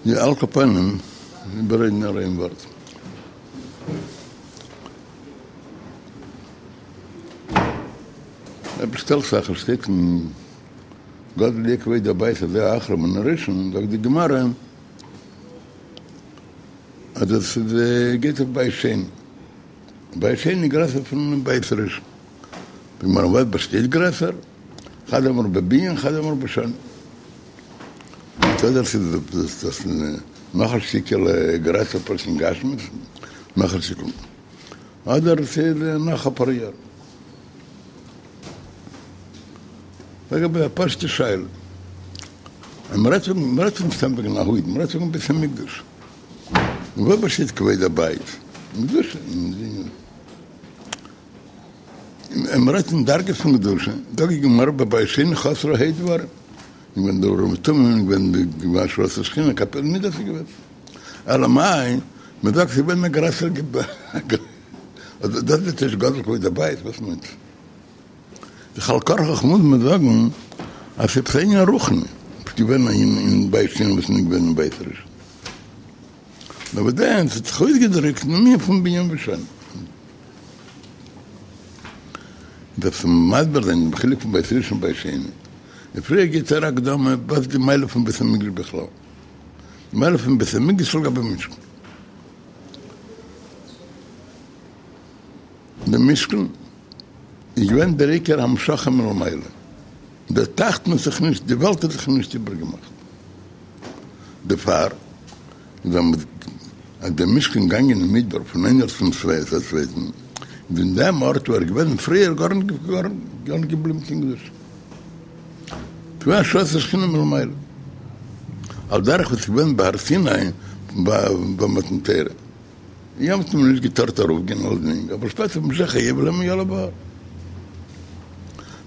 יא, על כל פנים, איבעררעדן נאר איין ווארט. עפעס שטעלט זיך, עס שטייט אין גדול יהיה כבוד הבית הזה האחרון מן הראשון, זאגט די גמרא אז עס איז גייט אויף בית שני, בית שני איז גרעסער פון בית ראשון, די גמרא וואס באשטייט גרעסער? חד אמר בבנין חד אמר בשנים. אדער ס'איז דאס נאך א שטיקעלע גרעסער פשוט אין גשמיות, נאך א שטיקל, אדער ס'איז נאך אפאר יאר. לגבי א פשוטע שאלה, אז מ'רעדט פון, מ'רעדט נישט סתם וועגן א הויז, מ'רעדט וועגן בית המקדש. אין וואס באשטייט כבוד הבית? אין קדושה, אין און מ'רעדט אין דרגות פון קדושה, זאגט די גמרא בבית שני חסרו ה' דברים, געווען די אורים ותומים, געווען די השראת השכינה, כפי מידת איז געווען. אלא מאי, מ'זאגט ס'איז געווען א גרעסערע דאס איז נישט גדול כבוד הבית, וואס מיינט עס? על כרחך מוז מען זאגן אז ס'איז עפעס א ענין רוחני וואס געווען אין בית שני וואס איז נישט געווען אין בית ראשון. נאר וואס דען, ס'האט זיך אויסגעדרוקט אין ענין פון בנין ושנים. דארף מען מסביר זיין דעם חילוק פון בית ראשון און בית שני. און פריער גיבט ער א הקדמה וואס איז די מעלה פון בית המקדש בכלל. די מעלה פון בית המקדש לגבי משכן. די משכן איז געווען דער עיקר המשכה מלמעלה. דער תחתון האט זיך נישט, די וועלט האט זיך נישט איבערגעמאכט. דערפאר איז אז דער משכן געגאנגען אין מדבר פון איין ארט צום צווייטן, איז אין דעם ארט וואו ער איז געוועזן פריער גארנישט געבליבן קיין קדושה. ס'געווען השראת השכינה מלמעלה. על דרך וואס איז געווען בהר סיני ביי מתן תורה. יעמאלט האט מען נישט געטארט ארויפגיין אלסדינג, אבער שפעטער במשך היובל איז מען יא בהר.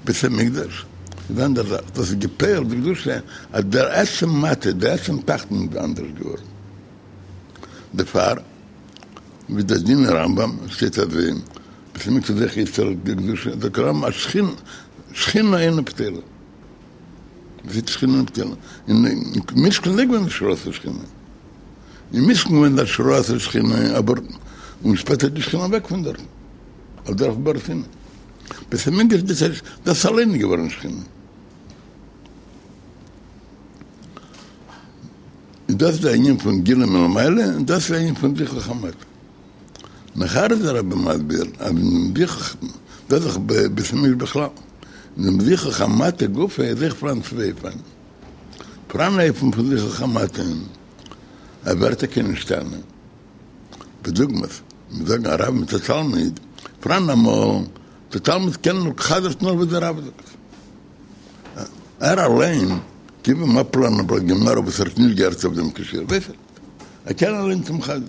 בית המקדש איז אנדער זאך, דאס איז געפועלט די קדושה אז דער עצם מטה, דער עצם תחתון איז אנדערש געווארן. דערפאר ווי דער דין אין רמב"ם שטייט אז בית המקדש איז אויך יצר די קדושה, זאגט רמב"ם אז שכינה אינה בטלה. וואס איז שכינה אינה בטלה? אין משכן איז געווען השראת השכינה. אין משכן געווען די השראת השכינה אבער און שפעטער איז די שכינה אוועק פון דארטן על דרך בהר סיני. בית המקדש דאס איז דאס אליין איז געווארן שכינה. איז דאס די ענין פון גילוי מלמעלה און דאס איז די ענין פון זיכוך המטה. נאכער איז דער רבי מסביר אז אין זיכוך דאס איז דאך בית המקדש בכלל. אין דעם זיכוך המטה גופא איז אויך פאראן צוויי אופנים. פאראן אן אופן פון זיכוך המטה ער ווערט טאקע נשתנה. בדוגמת, מיר זאגן א רב מיט א תלמיד, פאראן אמאל דער תלמיד קען נאר חזר'ט נאר וואס דער רב זאגט. ער אליין, גיב אים אפלערנען א בלאט גמרא וואס ער האט נישט געהערט אויף דעם קיין שיעור, ווייס ער נישט. ער קען אליין צום חזר'ן.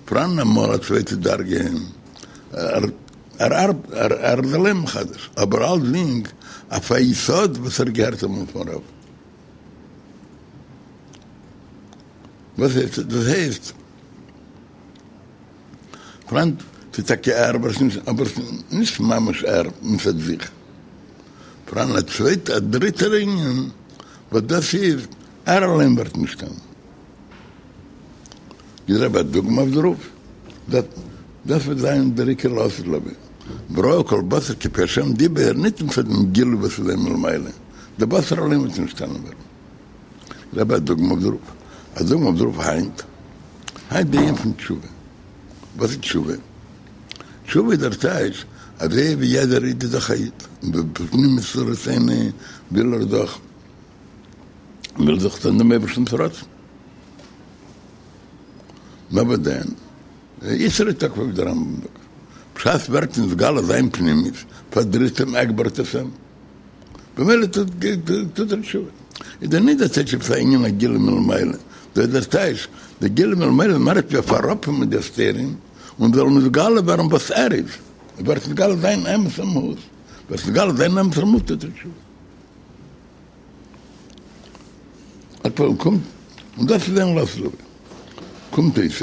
פאראן אמאל א צווייטע דרגה, ער ער איז אליין מחדש, אבער אלסדינג אויף א יסוד וואס ער האט געהערט אמאל פון רב. וואס הייסט? דאס הייסט, פאראן, ס'איז טאקע ער, אבער ס'איז נישט ממש ער מצד זיך. פאראן א צווייטע, א דריטער ענין, וואס דאס איז, ער אליין ווערט נשתנה. גיט דער רבי א דוגמא אויף דערויף, דאס וועט זיין דער עיקר לעתיד לבוא, וראו כל בשר כי פי השם דיבר, ניט מצד דעם גילוי וואס איז אין מלמעלה, דער בשר אליין וועט נשתנה ווערן. רבי א דוגמא אויף דערויף, א דוגמא אויף דערויף היינט, היינט די ענין פון תשובה, וואס איז תשובה? תשובה איז דער טייטש, אזוי ווי יעדער איד איז דאך א איד, און בפנימיות רצונו וויל ער דאך, וויל דאך טון דעם אייבערשטנ'ס רצון. נאר וואס דען, יתרו תקפו ווי דער רמב"ם זאגט, בשעת ווערט נתגלה זיין פנימיות, פארדריסט אים עגבערט עס אים, במילא טוט ער תשובה. איז דאך נישט דער טייטש עפעס א ענין א גילוי מלמעלה, דא איז דער טייטש, דער גילוי מלמעלה מערקט ווי אויף אראפנעמען די הסתרים, און זאל נתגלה ווערן וואס ער איז, ווערט נתגלה זיין אמת'ע מהות, ווערט נתגלה זיין אמת'ע מהות טוט ער תשובה. על פנים קומט, און דאס איז אין לעתיד לבוא, קומט אויס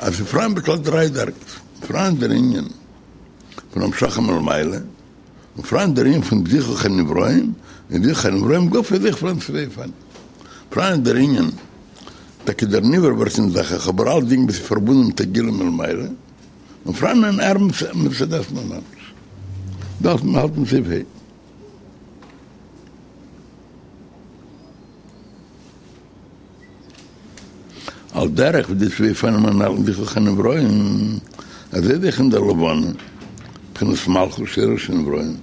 אז ס'איז פאראן בכלל דריי דרגות, פאראן דער ענין פון המשכה מלמעלה, און פאראן דער ענין פון זיכוך הנבראים, און זיכוך הנבראים גופא איז אויך פאראן צוויי אופנים. פאראן דער ענין, טאקע דער נברא ווערט נזדכך, אבער אלצדינג וואס איז פארבונדן מיט א גילוי מלמעלה, און פאראן אן אור מצד עצמו ממש. דארף מען האלטן סעיף ה'. על דרך ווי די צוויי אופנים הנ"ל אין זיכוך הנבראים, אזוי איז אויך אין דער לבנה, בחינת מלכות שורש הנבראים.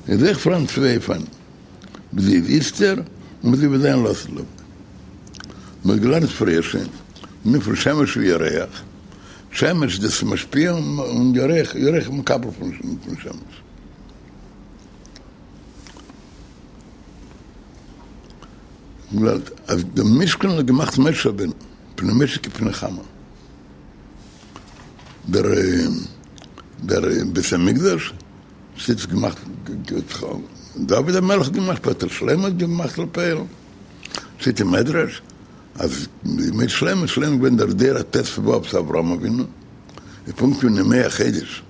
איז אויך פאראן צוויי אופנים, ווי זי איז איצטער און ווי זי וועט זיין לעתיד לבוא. מ'האט געלערנט פריער שוין, ענין פון שמש וירח, שמש דאס איז משפיע און ירח, ירח איז מקבל פון שמש. אז דעם משכן האט געמאכט משה רבינו, פני משה כפני חמה. דער דער בית המקדש ס'איז געמאכט דוד המלך האט געמאכט שפעטער שלמה האט געמאכט לפועל שטייט אין מדרש אז בימי שלמה שלמה איז געווען דער דור הט"ו צו אברהם אבינו איז פונקט ווי אין ימי החודש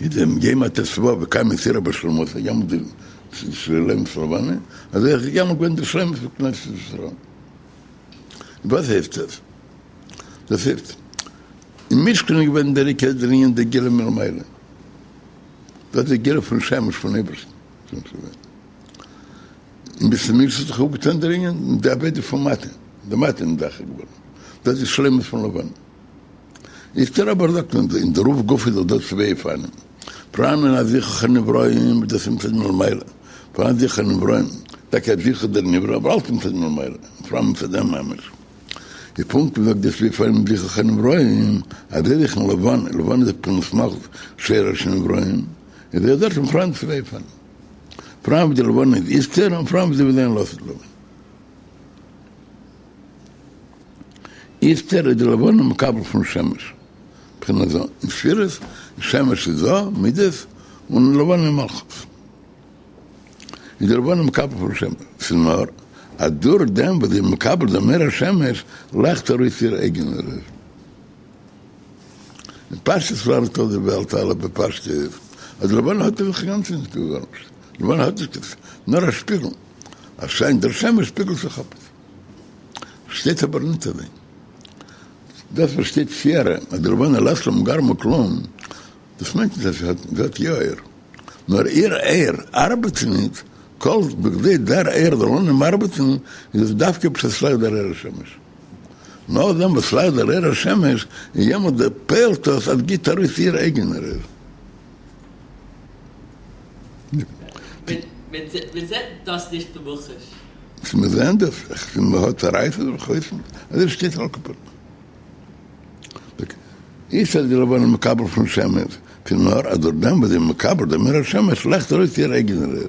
איז דעם יום הט"ו וקיימא סיהרא באשלמותא יעמאלט די שלימות לבנה אזוי איז יעמאלט געווען די שלימות פון כנסת ישראל וואס הייסט עס? דאס הייסט, אין משכן איז געווען דער עיקר דער ענין דער גילוי מלמעלה, דאס איז די גילוי פון שמש פון אייבערשטן, אין בית המקדש האט זיך אפגעטאן דער ענין די עבודה פון מטה, די מטה איז נזדכך געווארן, דאס איז שלימות פון לבנה. איצטער אבער זאגט מען אין דערויף גופא איז דאך דא צוויי אופנים, פאראנען א זיכוך הנבראים וואס דאס איז מצד מלמעלה, פאראן זיכוך הנבראים, טאקע א זיכוך דער נברא אבער אלץ מצד מלמעלה, פאראן מצד דעם ממש. איז פונקט ווי זאגט די צוויי אופנים זיכוך הנבראים, אזוי אויך אין לבנה, לבנה איז בחינת מלכות שורש הנבראים, איז אויך דארטן פאראן צוויי אופנים, פאראן ווי די לבנה איז איצטער און פאראן ווי זי וועט זיין לעתיד לבוא. איצטער איז די לבנה מקבל פון שמש, בחינת ז"א אין ספירות, שמש איז ז"א, מידות, און לבנה איז מלכות. איז די לבנה מקבל פון שמש, ס'איז נאר אז דורך דעם וואס זי איז מקבל דעם אור השמש לייכט ארויס איר אייגענער אור. אין פשטות לערנט דאך די וועלט אלע בפשטות אז די לבנה האט אין זיך אינגאנצן נישט גארנישט, די לבנה האט נישט קיין, נאר א שפיגל, אז שיינט דער שמש שפיגלט זיך אפ. שטייט אבער ניט אזוי. דאס וואס שטייט סיהרא אז די לבנה לית לה מגרמה כלום, דאס מיינט נישט אז זי האט יא אור. נאר איר אור ארבעט ניט, כל בכדי דער אור זאל אנהייבן ארבעטן איז עס דווקא בשעת ס'לייכט דער אור השמש. נאכדעם וואס ס'לייכט דער אור השמש איז יעמאלט דער פועל'ט עס אז גיט ארויס איר אייגענער אור. מען זעט דאס נישט במוחש. צו מיר זעען דאס, איך פון מען האט א רייסער זיך אויסן, אזוי שטייט על כל פנים. איז אז די לבנה מקבל פון שמש, ס'איז נאר אז דורך דעם וואס זי איז מקבל דעם אור השמש לייכט ארויס איר אייגענער אור.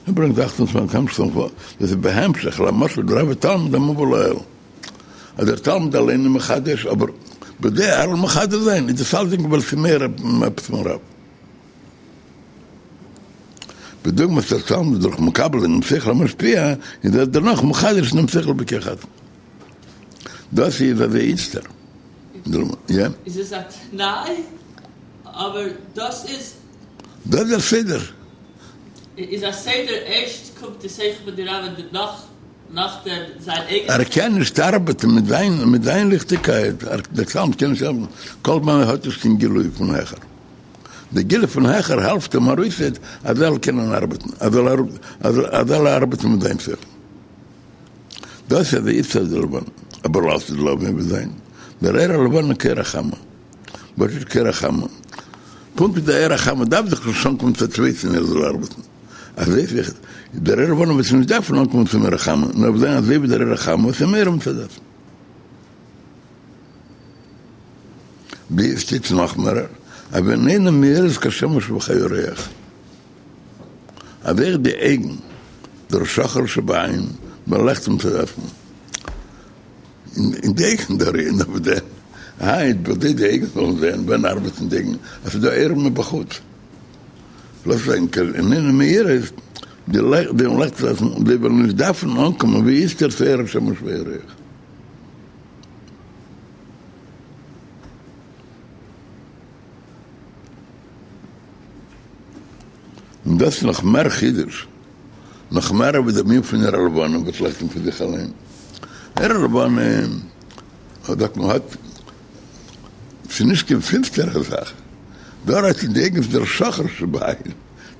ער ברענגט 28 המשך פון דאס איז בהמשך למשל דרב ותלמיד המובא לעיל אז דער תלמיד אליין איז מחדש אבער בכדי ער זאל מחדש זיין איז דאס אלסדינג ווייל ס'איז מער עפעס פון רב בדוגמת דער תלמיד דורך מקבל דעם שכל המשפיע איז ער דערנאך מחדש דעם שכל בכח עצמו דאס איז אזוי איצטער יא? איז עס א תנאי? אבער דאס איז דאס איז דער סדר. איז א סדר ערשט קומט די שכל פון די רב און דערנאך נאכדעם זיין אייגענע ער קען נישט ארבעטן מיט זיין מיט זיין ליכטיגקייט, דער תלמיד קען נישט ארבעטן כל זמן ער האט נישט קיין גילוי פון העכער, די גילוי פון העכער העלפט אים ארויסעט אז ער זאל קענען ארבעטן, אז ער זאל ארבעטן מיט זיין שכל. דאס איז איצטער די לבנה, אבער לעתיד לבוא וועט זיין דער אור הלבנה כאור החמה. וואס איז כאור החמה? פונקט ווי דער אור החמה דארף זיך נישט אנקומען צו א צווייטן ער זאל ארבעטן, אזוי אויך דער אור הלבנה וועט נישט דארפן אנקומען צום אור החמה, נאר וועט זיין אזוי ווי דער אור החמה וואס איז מאיר מצד עצמו. ווי עס שטייט נאך מער, אז והן עיניו מאירות כשמש וכירח, אז אויך די אויגן, דער שחור שבעין, באלייכט מצד עצמו. אין די אויגן דערין אבער די היינט בכדי די אויגן זאלן זען ווען ארבעטן די אויגן אז ס'איז דא אור מבחוץ לאז זיין קיין עיניו מאירות די לעכט די לעכט זיי וועלן נישט דארפן אנקומען ווי איצטער צו אור השמש והירח. און דאס איז נאך מער חידוש, נאך מער ווי דער ענין פון אור הלבנה וואס לייכט פון זיך אליין. אור הלבנה זאגט מען האט, ס'איז נישט קיין פינסטערע זאך, דא רעדט אין די אויגן פון דער שחור שבעין,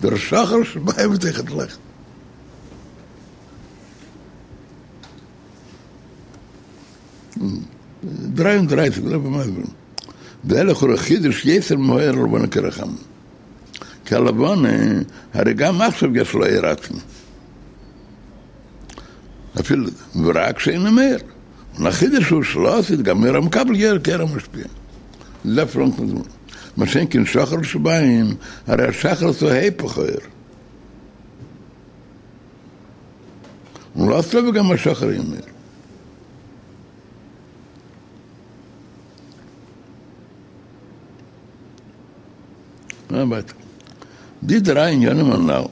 דער שחור שבעין וועט אויכעט לייכטן. 33 דער רבי מסביר, וזה לכאורה חידוש יותר מהאור הלבנה כאור החמה, כי הלבנה הרי גם עכשיו יש לה אור עצמי, אפילו ורק שאינו מאיר, און החידוש הוא שלעתיד גם אור המקבל יאיר כאור המשפיע. מה שאין כן שחור שבעין, הרי השחור הוא היפך האור. און לעתיד לבוא גם השחור יהיה מאיר. ווייטער. די דריי עניינים הנ"ל,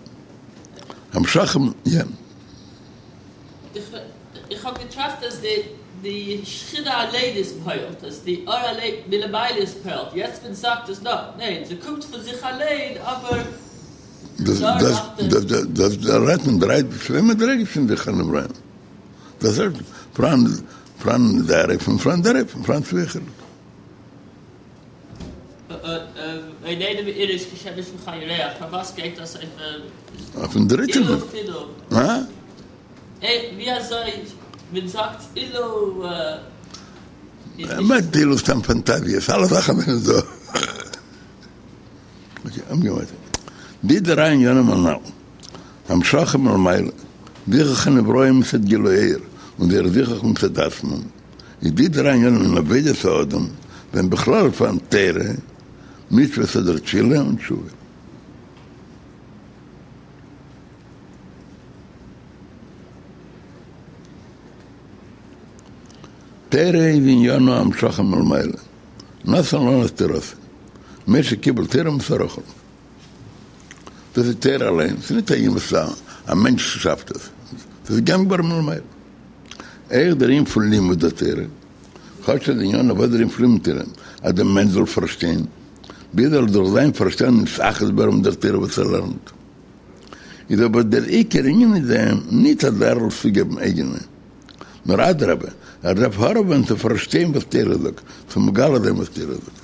המשכה, יא. איך האב געטראכט אז די די שכינה אליין איז פועל'ט, אז די אור אליין מלמעלה איז פועל'ט, יעצט מען זאגט אז נא, ניין, ס'קומט פון זיך אליין אבער דאס דאס דא רעדט מען דריי צוויי מדריגות פון זיכוך הנבראים. דאס איז פאראן פאראן דער אופן פאראן דער אופן פאראן צוויי חילוקים. ואיננו מאירות כשמש וכירח, פארוואס גייט דאס אויף אויפן דריטן אילו אפילו? הא? ווי אזוי מען זאגט אילו איז נישט. באמת אילו סתם פאנטאזיעס, אלע זאכן זענען דא. די דריי עניינים הנ"ל, המשכה מלמעלה, זיכוך הנבראים מצד גילוי האור, און זייער זיכוך מצד עצמם, איז די דריי עניינים אין עבודת האדם, ווען בכלל פאראן תורה, מצוות אדער תפילה און תשובה. תורה איז עניינו המשכה מלמעלה. נתן לנו את תורתו, משה קיבל תורה מסר רחל. דאס איז תורה אליין, ס'איז נישט א ענין וואס א מענטש שאפט עס, ס'איז געגעבן געווארן מלמעלה. אויך דער ענין פון לימוד התורה, כאטש אז ענינו וואס דער ענין פון לימוד תורה, אז דער מענטש זאל פארשטיין, ביז ער זאל דורך זיין פארשטאנד נתאחד ווערן מיט דער תורה וואס ער לערנט. איז אבער דער עיקר ענין אין דעם ניט אז ער זאל צוגעבן אייגענע. נאר אדרבה, ער דארף הארעווען צו פארשטיין וואס תורה זאגט, צו מגלה זיין וואס תורה זאגט.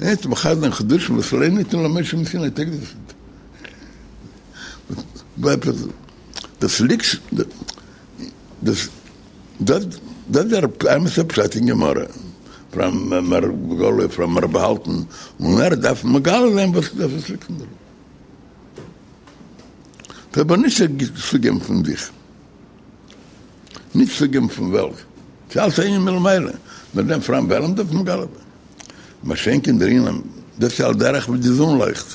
און מחדש זיין חידושים וואס לא ניתנו למשה מסיני טויג דאס ניט. דאס ליגט דאס דאס דאס איז דער אמת'ער פשט אין גמרא, פאראן מער בגלוי פאראן מער באהאלטן, און ער דארף מגלה זיין וואס דאס ליגט אין דערויף. ס'איז אבער נישט צוגעבן פון זיך, נישט צוגעבן פון וועלט, ס'איז אלץ א ענין מלמעלה, נאר דעם פאראן העלם דארף מגלה זיין. מה שאין כן דער ענין, דאס איז על דרך ווי די זון לויכט.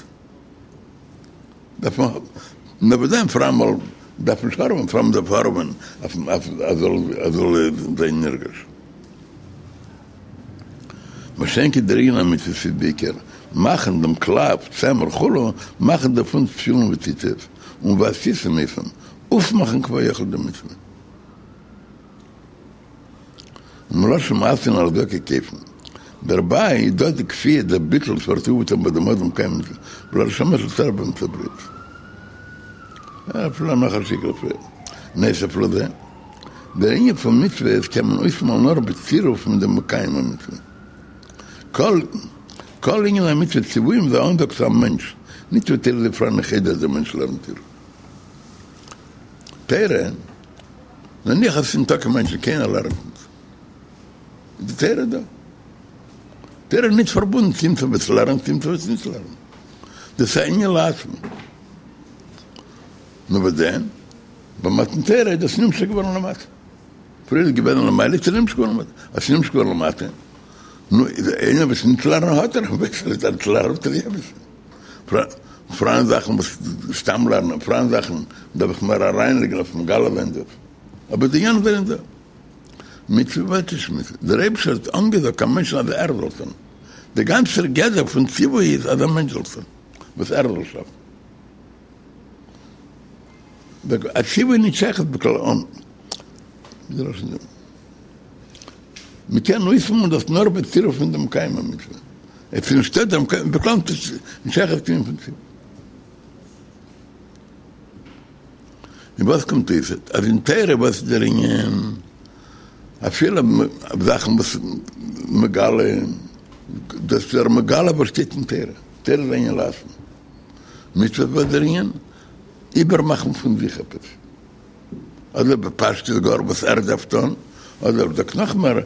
דארף מען האבן, נאר ביי דעם פאראן אמאל דארף מען נישט הארעווען, פאראן מ'דארף הארעווען אויף אז זאל זיין נרגש. מה שאין כן דער ענין המצוות איז בעיקר מאכן דעם קלף, צמר וכו', מאכן דערפון תפילין וציצית, און ועשיתם אותם, אויפמאכן כביכול די מצוה. ומלשון מעשין על הצדקה כופין. דערביי איז דא די כפייה דער ביטול וואס ווערט אויפגעטאן ביי דעם אדם מקיים מצוה ולא לשמש לצורך באמצע בריאות. אפילו נאך א שטיקל פריער. נוסף לזה, דער ענין פון מצוות קען מען אויסמאלן נאר בצירוף מיט דעם מקיים המצוה. כל כל ענין המצוות ציוויים איז א אנזאג צו א מענטש, נישט ווי תורה איז פאראן אין חדר דער מענטש לערנט איר. תורה, נניח אז עס איז ניטא קיין מענטשן, קיינער לערנט נישט, איז די תורה דא. תורה איז נישט פארבונדן צו עמיצער וואס לערנט צו עמיצער וואס נישט לערנט. דאס איז א ענין לעצמו. נאר וואס דען? ביי מתן תורה איז דאס נמשך געווארן למטה. פריער איז געווען למעלה, איז נמשך געווארן למטה. אז ס'איז נמשך געווארן למטה, נו, איז איינער וואס נישט לערנען האט ער, ווער עס נישט לערנט האט ער יא אביסל. פאראן זאכן וואס סתם לערנען, פאראן זאכן דארף איך מער אריינלייגן אויף מגלה זיין דאס. אבער די ענינים זענען דא. מצוה ווערט נישט מצוה. דער אייבערשטער האט אנגעזאגט א מענטשן אז ער זאל טון. דער גאנצער גדר פון ציווי איז אז א מענטש זאל טון וואס ער זאל שאפן. א ציווי איז נישט שייך בכלל אן. מ'קען אויספועלן דאס נאר בצירוף פון דעם מקיים המצוה. עס איז נישטא דער מקיים, בכלל נישט שייך צו פון צירוף. און וואס קומט אויס אז אין תורה וואס איז דער ענין אפילו זאכן וואס מגלה דאס איז דער מגלה וואס שטייט אין תורה, תורה איז ענין לעצמו, מצוות וואס איז דער ענין איבערמאכן פון זיך עפעס, אדער בפשטות גאר וואס ער דארף טון, אדער זאגט נאך מער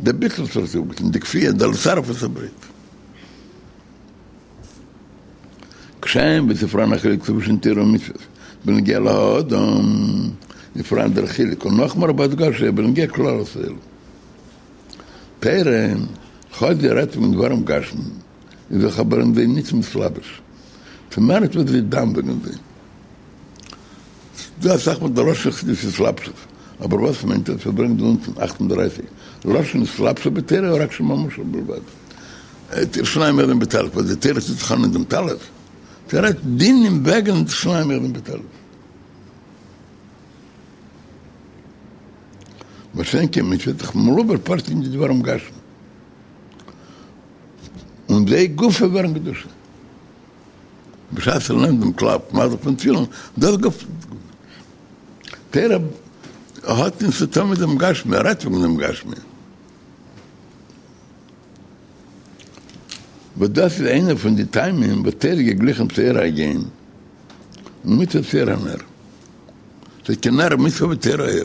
דער ביטול וואס ער האט די כפייה דער לצרף את הברית. כשם ווי ס'פאראן א חילוק צווישן תורה און מצוות בנוגע להאדם, איז פאראן דער חילוק און נאכמער בהדגשה בנוגע כללות העולם. תורה, כאטש זי רעדט פון דברים גשמיים, איז זיך אבער אין זיי ניט מתלבש. ס'מער נישט וואס זי איז דן וועגן זיי. ס'דא אסאך מאל דער לשון חסידות התלבשות, אבער וואס מיינט עס? ער ברענגט דא אונטן 38 לשון התלבשות בתורה רק שם המשל בלבד. שנים אוחזין בטלית, וואס די תורה טוט זיך אן אין דעם טלית? ס'רעדט דינים וועגן שנים אוחזין בטלית. מה שאין כן מצוה איז דאך מלובש פשוט אין די דברים גשמיים. און זיי גופא ווערן קדושה. בשעת ער נעמט דעם קלף מאכט זיך פון תפילין, דאס גופא. תורה האט נישט צו טון מיט דעם גשמי, ער רעדט וועגן דעם גשמי. וואס דאס איז איינער פון די טעמים וואס תורה איז געגליכן צו אור היום און מצוה צו אור הנר. ס'איז כי נר מצוה ותורה אור.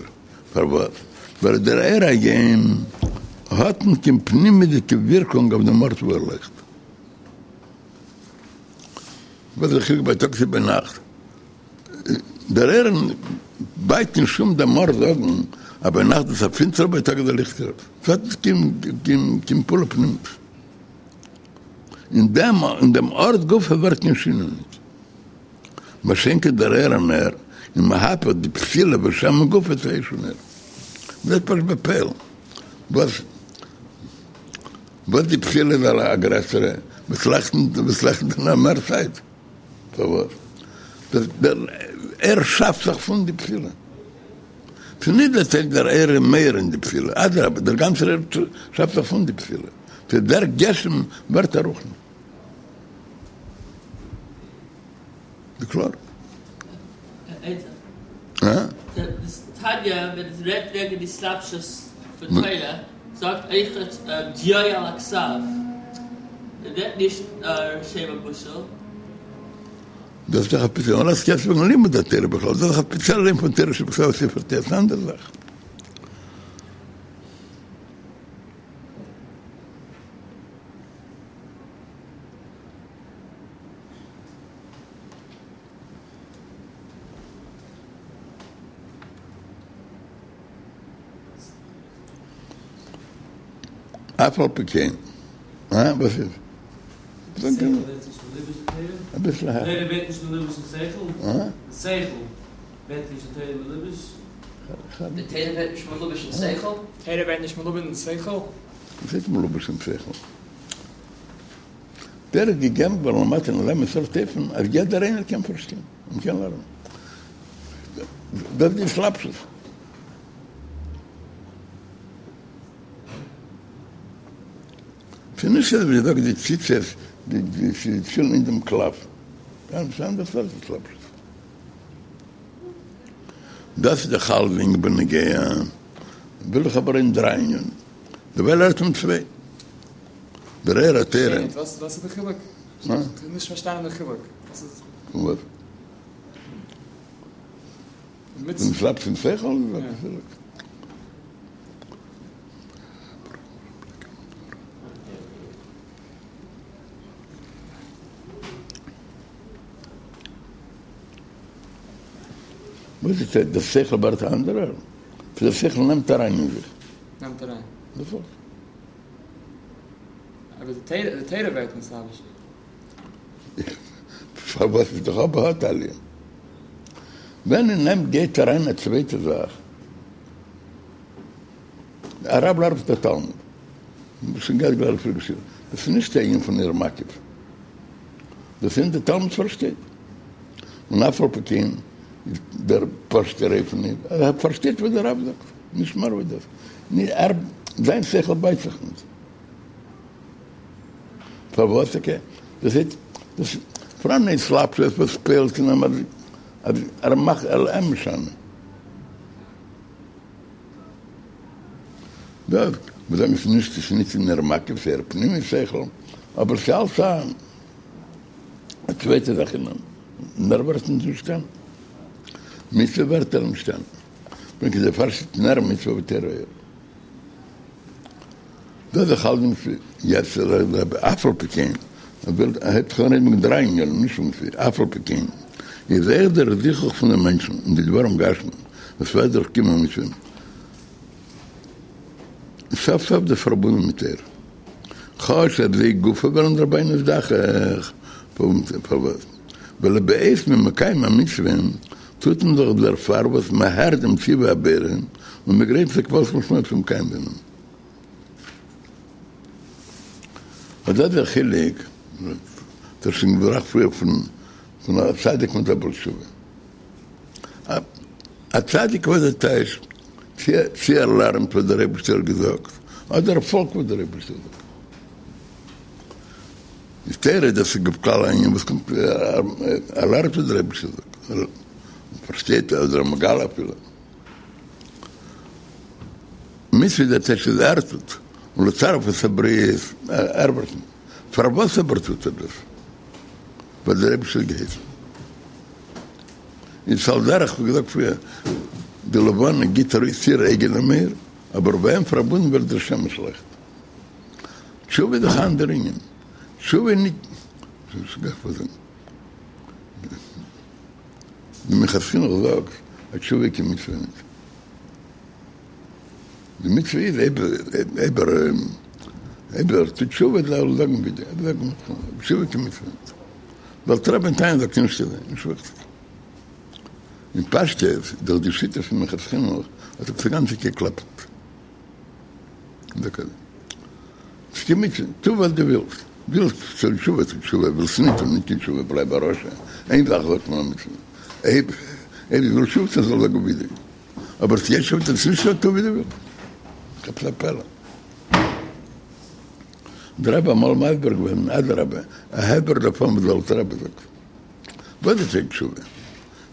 פארוואס? ווייל דער אור היום האט נישט קיין פנימיות'דיגע ווירקונג אויף דעם ארט וואו ער לויכט. וואס איז די חילוק בייטאג צו ביינאכט? דער אור בייט נישט אום דעם ארט זאגן אז ביינאכט איז א פינסטער בייטאג איז א ליכטיגער. ס'האט נישט קיין פעולה פנימית. אין דעם אין דעם ארט גופא ווערט קיין שינוי נישט. מה שאין כן דער אור הנר איז מהפך די פתילה ושמן גופא צו אש ונר. מ'זעט פשוט בפועל וואס וואס די פתילה איז א גרעסערע וואס לייכט וואס לייכט נאר מער צייט. פארוואס? דער אור שאפט זיך פון די פתילה. ס'איז נישט דער טייג דער אור איז מאיר אין די פתילה, אדרבה דער גאנצער אור שאפט זיך פון די פתילה. ס'איז דער גשם ווערט א רוחני. איז קלאר? תניא ווען עס רעדט וועגן די התלבשות פון תורה זאגט אויכעט דיו על הכתב, רעדט נישט שם המשל. דאס איז דאך א ספעציעלע און אז וועגן לימוד התורה בכלל, דאס איז דאך א ספעציעלע ענין פון תורה שבכתב ספר תורה, ס'איז אן אנדערע זאך. אף על פי כן, אה? וואס איז? אביסל העכער. וואס הייסט מלובש אין שכל? תורה איז געגעבן געווארן למטה אין אזא מין סארט אופן אז יעדער איינער קען פארשטיין און קען לערנען. דאס איז די התלבשות. ס'איז נישט אזוי ווי זאגט די ציצית די תפילין אין דעם קלף. ס'איז אן אנדערע סארט התלבשות. דאס איז דאך אלסדינג בנוגע. וויל איך אבער אין דריי ענינים. דערווייל הערט מען צוויי. דער אור התורה. וואס איז די חילוק? איך האב נישט פארשטאנען די חילוק. פון וואס? פון התלבשות אין שכל? וואס איז די חילוק? וואס איז דער שכל ווערט א אנדערער? דער שכל נעמט אריין אין זיך. נעמט אריין. דאס ווארט. אבער די תורה ווערט נתלבש. פארוואס איז דאך אבער האט עליה. ווען אין אים גייט אריין א צווייטע זאך, א רב לערנט מיט א תלמיד, שוין געהאט גלייך פריער געשריבן, דאס איז נישט א ענין פון אור מקיף, דאס איז דער תלמיד פארשטייט, און אף על פי כן דער פשוט'ער אופן איז אז ער פארשטייט וואס דער רב זאגט, נישט מער ווי דאס. זיין שכל בייט זיך נישט. פארוואס טאקע? דאס הייסט, דאס פאראן התלבשות וואס פועל'ט אין אים אז ער מאכט ער אים משנה. דאס מיר זאגן ס'איז נישט ס'איז נישט אין אור מקיף ס'איז אור פנימי שכל, אבער ס'איז אלץ א א צווייטע זאך אין אים, און ער ווערט נישט נשתנה. מצוה ווערט ער נשתנה. פונקט דערפאר שטייט נר מצוה ותורה אור. דאס איז דאך אלץ יעצט אף על פי כן, ער וויל ער הייבט זיך אן רעדן מיט דריי ענינים נישט פון פיר, אף על פי כן איז אויך דער זיכוך פון דעם מענטשן אין די דברים גשמיים וואס ווערט דורך קיום המצוה סוף סוף דאס פארבונדן מיט אור כאטש אז זיי גופא ווערן דערביי נזדכך פארוואס ווייל בעת מ'איז מקיים א מצוה טוט מען דאך דערפאר וואס מ'הערט דעם ציווי הבורא און מ'גרייט זיך וואס משמעות צו מקיים זיין. אט דאס איז דער חילוק, דאס איז שוין געבראכט פריער פון פון א צדיק מיט א בעל תשובה. א צדיק וואס דער טייטש צו ער לערנט וואס דער אייבערשטער האט געזאגט, אדער ער פאלגט וואס דער אייבערשטער זאגט. איז תורה דאס איז בכלל א ענין וואס קומט ער לערנט וואס דער אייבערשטער זאגט, ער פארשטייט אדער מגלה אפילו. מצוה דער טייטש איז ער טוט, און לצרף את הבריות ער ווערט נישט. פארוואס אבער טוט ער דאס? ווייל דער אייבערשטער האט געהייסן. איז על דרך ווי געזאגט פריער, די לבנה גיט ארויס איר אייגענעם אור, אבער ביי אים פארבונדן ווערט דער שמש לייכט. תשובה איז דאך א אנדער ענין. תשובה איז נישט, די מנחת חינוך זאגט אז תשובה איז קיין מצוה נישט. די מצוה איז אויב אויב ער טוט תשובה זאל ער זאגן וידוי, אויב זאגט תשובה איז קיין מצוה נישט. דער אלטער רבי אין תניא זאגט נישט אזוי, נישט וויכטיג. אין פשטות איז דאך די שיטה פון מנחת חינוך האט עפעס גאנץ געקלאפט. טו וואס דו ווילסט, ווילסט טון תשובה טו תשובה, ווילסט נישט טון נישט קיין תשובה, בלייב א רשע, איין זאך זאגט מען א מצוה, אויב אויב ווילסט תשובה טון זאל זאגן וידוי, אבער צו יעצט תשובה טון נישט טו ווי דו ווילסט, עפעס א פלא. דער רבי אמאל מסביר געווען, אדרבה, א הסבר דערפון וואס דער אלטער רבי זאגט. וואס איז תשובה?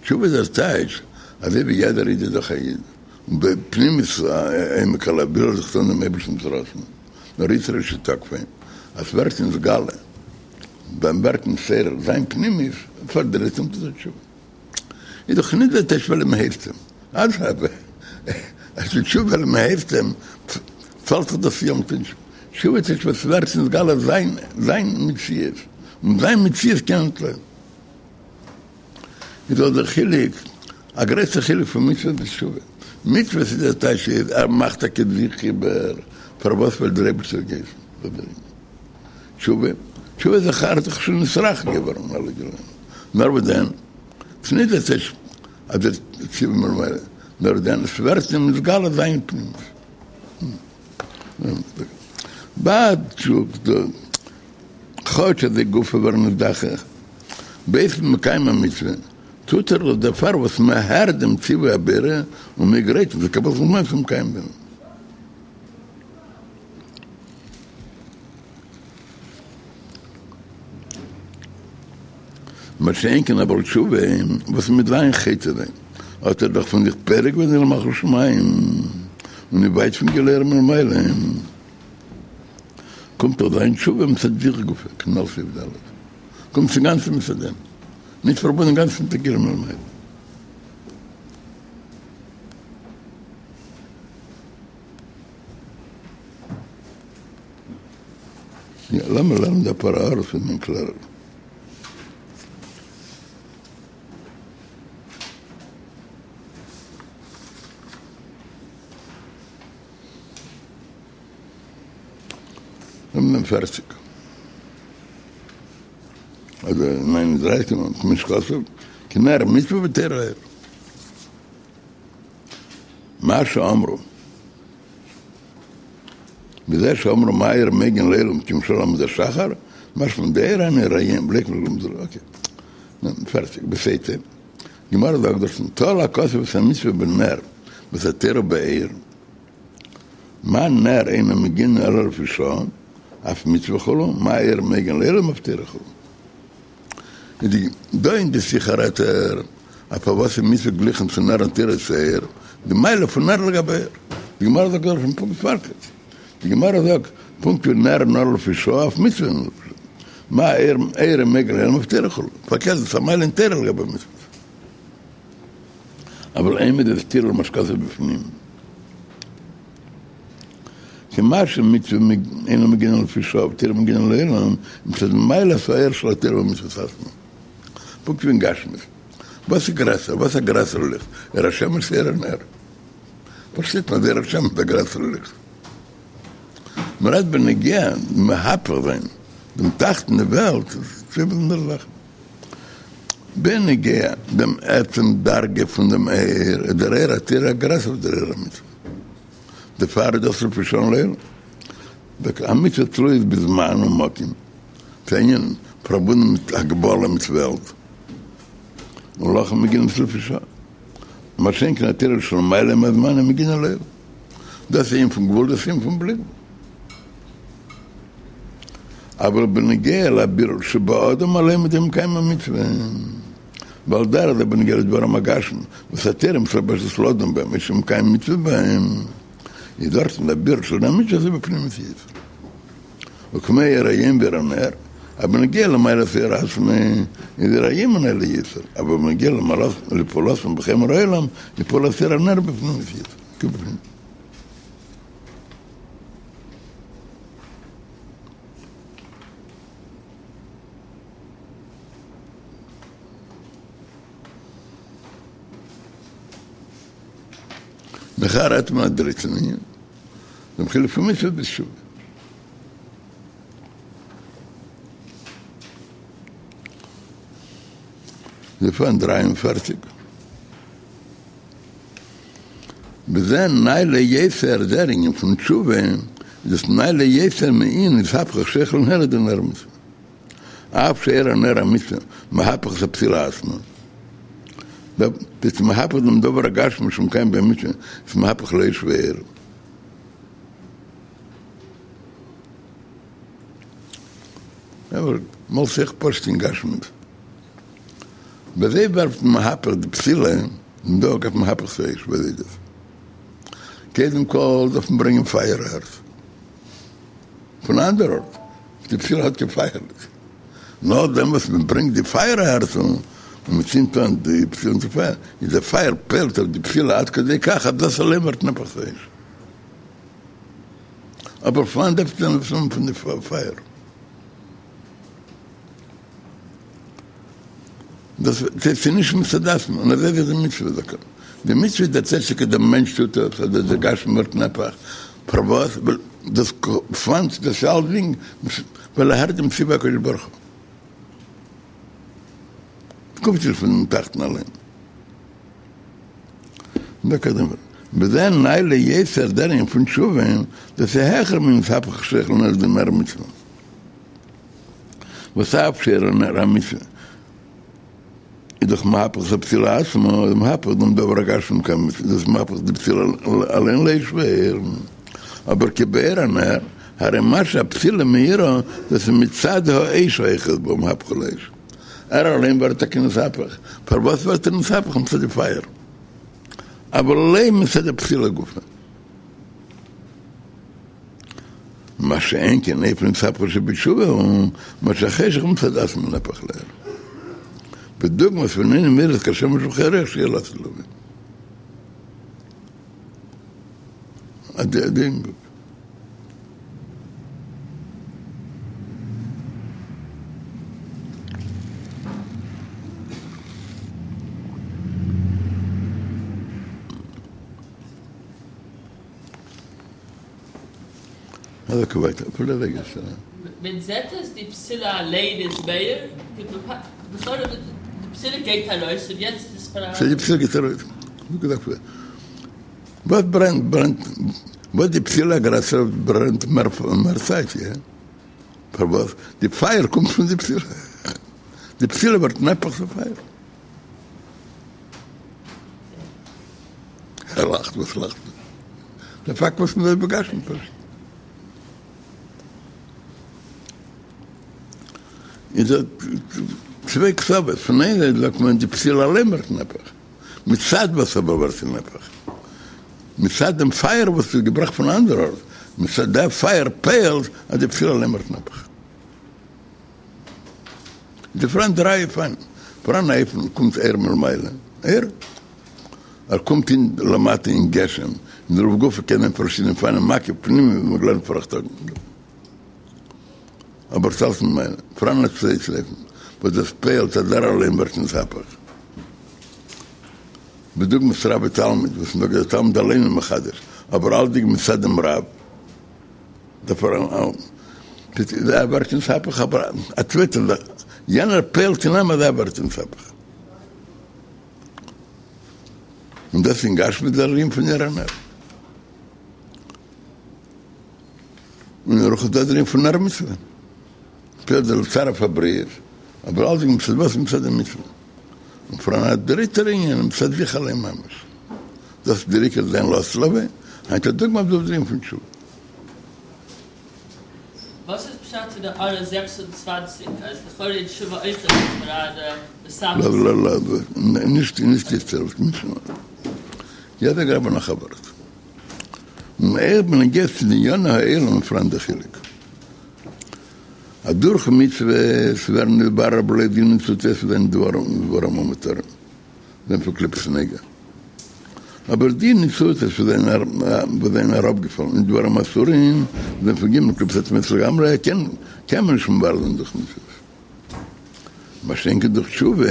תשובה איז דער טייטש, אזוי ווי יעדער איד איז דאך א איד, און בפנימיות עומק הלב וויל ער זיך טון דעם אייבערשטנ'ס רצון, נאר יצרו שתקפו, אז ס'ווערט נתגלה, ביים ווערט נתעורר זיין פנימיות, פארדרייט אים צו תשובה. איז דאך נישט דער טייטש ווייל מ'הייסט אים, אדרבה, אז די תשובה ווייל מ'הייסט אים, פאלט דאך דאס יום טוב. תשובה טייטש וואס ווערט נתגלה זיין זיין מציאות, און זיין מציאות קען נישט לעבן. איז דאך דער חילוק, א גרויסער חילוק פון מצוות ביז תשובה. מצוות איז דער טייטש איז ער מאכט טאקע זיך איבער פארוואס ווייל דער אייבערשטער האט געהייסן. תשובה, תשובה איז דאך ער האט דאך שוין נתרחק געווארן אלע גילויים. נאר וואס דען? ס'איז נישט דער טייטש אז דער ציווי מלמעלה, נאר דען עס ווערט אים נתגלה זיין פנימיות. ביי תשובה, כאטש אז זיי גופא ווערן נזדכך בעת מקיים המצוה, טוט ער דאס דערפאר וואס מען הערט דעם ציווי הבורא און מען גרייט זיך לקבל זמן צו מקיים זיין. מה שאין כן א בעל תשובה וואס מיט זיין חוטא זיין האט ער דאך פון זיך פורק געווען עול מלכות שמים און איז ווייט פון גילוי אור מלמעלה קומט דאך זיין תשובה מצד זיך גופא כנ"ל סעיף ד' קומט אינגאנצן מצד דעם נישט פארבונדן אינגאנצן מיט די גילוי מלמעלה. יא, לאמיר לערנען די פאר הערות פון דעם קלערער. לאמיר נעמען פערציג. אדער 39, כמו שכתוב, כי נר מצוה ותורה אור. מה שאמרו. בזה שאמרו מאיר מגן לעולם כמשל עמוד השחר, משמע דאור הנראים בלי כלום זה לא, אקעי. נו, פערטיג, בסייטע. גמרא זאגט דארטן, תלה הכתוב את המצוה בנר ואת התורה באור. מה נר אינו מגין אלא לפי שעה, אף מצוה כו', מה אור מגין לעולם אף תורה כו'. דא אין די שיחה רעדט ער אז פארוואס איז מצוה גליכן צו נר און תורה צו אור, די מעלה פון נר לגבי אור. די גמרא זאגט דארט פונקט פארקערט, די גמרא זאגט פונקט ווי נר נאר לפי שעה אף מצוה נאר לפי שעה, מה אור מגין לעולם אף תורה כו', פארקערט דאס איז א מעלה אין תורה לגבי מצוות. אבל אין בזה סתירה למה שכתוב בפנים. כי מה שמצוה אינה מגינה לפי שעה ותורה מגינה לעולם, מצד מעלת האור של התורה והמצוות עצמן. פונקט ווי אין גשמיות. וואס איז גרעסער? וואס איז א גרעסערע ליכט? אור השמש צו אור הנר? פארשטייט מען אז אור השמש איז א גרעסערע ליכט. מ'רעדט בנוגע מהפך זיין דעם תחתון אין די וועלט, איז צוויי באזונדערע זאכן. בנוגע דעם עצם דרגה פון דעם אור, איז דער אור התורה גרעסער ווי דער אור המצוה. דערפאר איז דאס לפי שעה לעולם. א מצוה תלויה בזמן ומקום, ס'איז אן ענין פארבונדן מיט הגבלה מיט וועלט, ולכן מגין עס לפי שעה. מה שאין כן התורה שלמעלה מהזמן היא מגינה לעולם. דאס איז ענין פון גבול, דאס איז ענין פון בלי גבול. אבל בנוגע לבירור שבאדם אליין מיט דעם מקיים המצוה, ועל דרך זה בנוגע לדברים הגשמיים, וואס התורה מתלבשת לאדם בהם, מי שמקיים מצוה בהם, איז דארטן דער בירור של המצוה איז בפנימיות יותר. וכמו אור היום ואור הנר, אז בנוגע למעלת האור עצמו, איז אור היום נעלה יותר, אבל בנוגע לפעולתם בחומר העולם, איז פעולת אור הנר בפנימיות יותר, כבפנים. נאכהער רעדט מען א דריטן ענין, דעם חילוק פון מצוה ביז תשובה. זיי פארן 43. וזה נעלה יותר דער ענין פון תשובה, איז דאס נעלה יותר מענין אתהפכא חשוכא לנהורא דנר המצוה. אף שאור הנר המצוה מהפך את הפתילה עצמה. דאס מהפך דעם דבר הגשמי שמקיים במצוה, איז מהפך לאש ואור. אבער מאל זיך פשוט אין גשמיות. ווי אזוי ווערט מהפך די פתילה און דא גייט מהפך צו אש, ווי אזוי איז דאס? קודם כל דארף מען ברענגען פייער ערשט פון אן אנדער ארט, די פתילה האט קיין פייער נישט, נאכדעם וואס מען ברענגט די פייער ערשט און מען צינדט אן די פתילה מיט די פייער, איז די פייער פועל'ט אויף די פתילה עד כדי כך אז דאס אליין ווערט נהפך צו אש. אבער פון וואנעט דארף מען עס האבן פון די פייער? דאס איז נישט מצד עצמו, און אזוי איז די מצוה דוקא. די מצוה איז דער צדק דער מענטש טוט עס, אדער דער גשמי ווערט נהפך. פארוואס? ווייל דאס פאנט דאס אלסדינג, ווייל ער הערט דעם ציווי הקדוש ברוך הוא. קומט נישט פון תחתון אליין. וזה נעלה יותר דער ענין פון תשובה, דאס איז העכער מן אתהפכא חשוכא לנהורא דנר המצוה. וואס אף שאור נר המצוה איז דאך מהפך את הפתילה עצמה, איז מהפך דעם דבר הגשמי מקיים מצוה, דאס מהפך די פתילה אליין לאש ואור, אבער כבאור הנר, הרי מה שהפתילה מאירה, דאס איז מצד האש האוחז בה ומהפכה לאש. ער אליין ווערט טאקע נתהפך, פארוואס ווערט ער נתהפך מצד די פייער? אבל לא מצד הפתילה גופא. מה שאין כן אופן אתהפכא שבתשובה הוא מה שהחשך מצד עצמו נהפך לאור. בדוגמת ואיננה מאירה כשמש וכירח שיהיה לעתיד לבוא. הדין. אזוי ווייטער, אפילו רגע ש. מען זעט אז די פתילה אליין איז מאיר, לכאורה די פתילה גייט ארויס און יעצט איז פאראן. די פתילה גייט ארויס, וואס ברענט ברענט, וואס די פתילה גרעסער ברענט מער מער צייט, איא? פארוואס? די פייער קומט פון די פתילה, די פתילה ווערט נהפך צו פייער. ער לאכט, וואס לאכט מען? דער פאקט וואס מ'זאגט בגשמיות פשוט. איז דא צוויי קצוות, פון איין זייט זאגט מען די פתילה אליין ווערט נהפך, מצד וואס אבער ווערט זי נהפך? מצד דעם פייער וואס איז געבראכט פון אנדער ארט, מצד דער פייער פועל'ט אז די פתילה אליין ווערט נהפך. איז פאראן דריי אופנים, פאראן א אופן קומט אור מלמעלה, אור, ער קומט אין למטה אין גשם, אין דערויף גופא קען זיין פארשידענע אופנים מקיף פנימי ווי מ'האט געלערנט פאראכטאגן, אבער ס'אלץ מלמעלה, פאראן א צווייטן אופן וואס דאס פועל'ט אז ער אליין ווערט נתהפך, בדוגמת רב ותלמיד וואס מ'זאגט דער תלמיד אליין איז מחדש, אבער אלצדינג מצד דעם רב. דערפאר ער ווערט נתהפך אבער א צווייטער זאך, יענער פועל'ט אין אים אז ער ווערט נתהפך. און דאס אין גשמיות דער ענין פון נר הנר. און אין רוחניות דער ענין פון נר מצוה. פועל'ט דער לצרף הבריות, אבער אלצדינג מצד וואס מצד די מצוה. און פאראן א דריטער ענין מצד זיך אליין ממש. דאס איז דער עיקר זיין לעתיד לבוא, היינט א דוגמא אויף דער ענין פון תשובה. וואס איז פשט אין די הערה 26 אז לכאורה אין תשובה אויכעט איז פאראן די לא לא לא נישט נישט יעצט יעדער גרעבער נאך א ווארט. און אויך בנוגע צו די עניני העולם פאראן דער חילוק. אז דורך מצוות ווערן נתברר בלויז די ניצוצות וואס זענען דברים המותרים. זענען פון קליפת נוגה. אבער די ניצוצות וואס זענען אראפגעפאלן אין דברים אסורים זענען פון ג' קליפות הטמאות לגמרי, קען מען נישט מברר זיין דורך מצוות. מה שאין כן דורך תשובה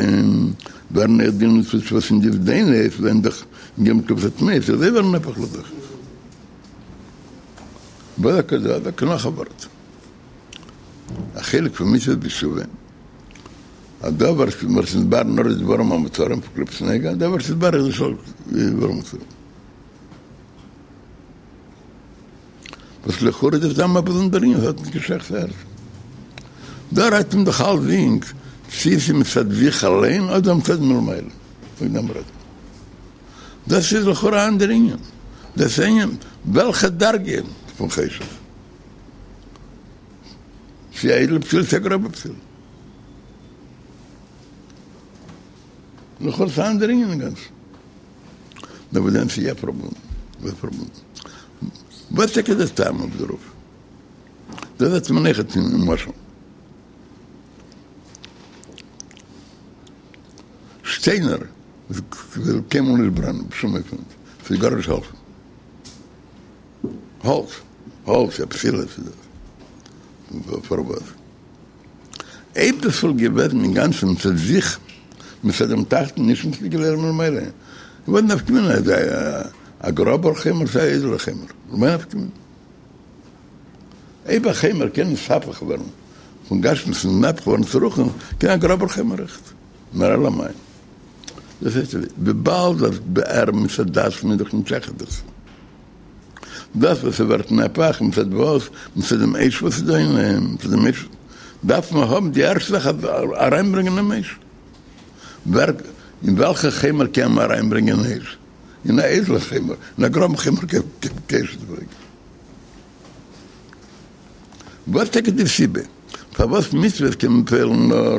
ווערן אויך די ניצוצות וואס אין די זדונות זענען דאך ג' קליפות הטמאות, זיי ווערן נהפך לזכות. בדוק נאך א ווארט. א חלק פון מצוות בתשובה. אז דא ווערט נתברר נאר די דברים המותרים פון קליפת נוגה, דא ווערט נתברר די של דברים אסורים. וואס לכאורה איז דאס א באזונדער ענין, האט נישט קיין שייכות אהער. דא רעדט מען דאך אלסדינג צי ס'איז מצד זיך אליין אדער מצד מלמעלה, וועגן דעם רעדט מען. דאס איז לכאורה א אנדער ענין. דאס ענין וועלכע דרגה פון חשך. צי א איידעלע פתילה צי א גראבע פתילה. לכאורה ס'אן אנדער ענין אינגאנצן. נאר וואס דען ס'איז יא פארבונדן. וואס פארבונדן? וואס טאקע איז דער טעם אויף דערויף? דאס זעט מען אויכעט אין משל. שטיינער וועלן קיינמאל נישט ברענען בשום אופן נישט. ס'וועט גארנישט העלפן. האלץ, האלץ, א פתילה איז דאס. פארוואס? אויב דאס וואלט געוועזן אינגאנצן מצד זיך, מצד דעם תחתון, נישט מצד גילוי אור מלמעלה, וואס נפקא מינה אז א גראבער חומר צו א איידעלער חומר? למאי נפקא מינה? אויב א חומר קען נתהפך ווערן פון גשמיות און נהפך ווערן צו רוחניות, קען א גראבער חומר אויכעט. נאר אלא מאי? דאס הייסט וויבאלד אז ער מצד עצמו איז דאך נישט שייך דאס. דאס וואס ס'ווערט נהפך מצד וואס? מצד דעם אש וואס איז דא אין אים, מצד דעם אש דארף מען האבן די ערשטע זאך אז אריינברענגען דעם אש. ווער, אין וועלכע חומר קען מען אריינברענגען אש? אין א איידעלע חומר, אין א גראבן חומר קען מען קיין אש נישט ברענגען. וואס טאקע די סיבה פארוואס מצוות קען מען פועל'ן נאר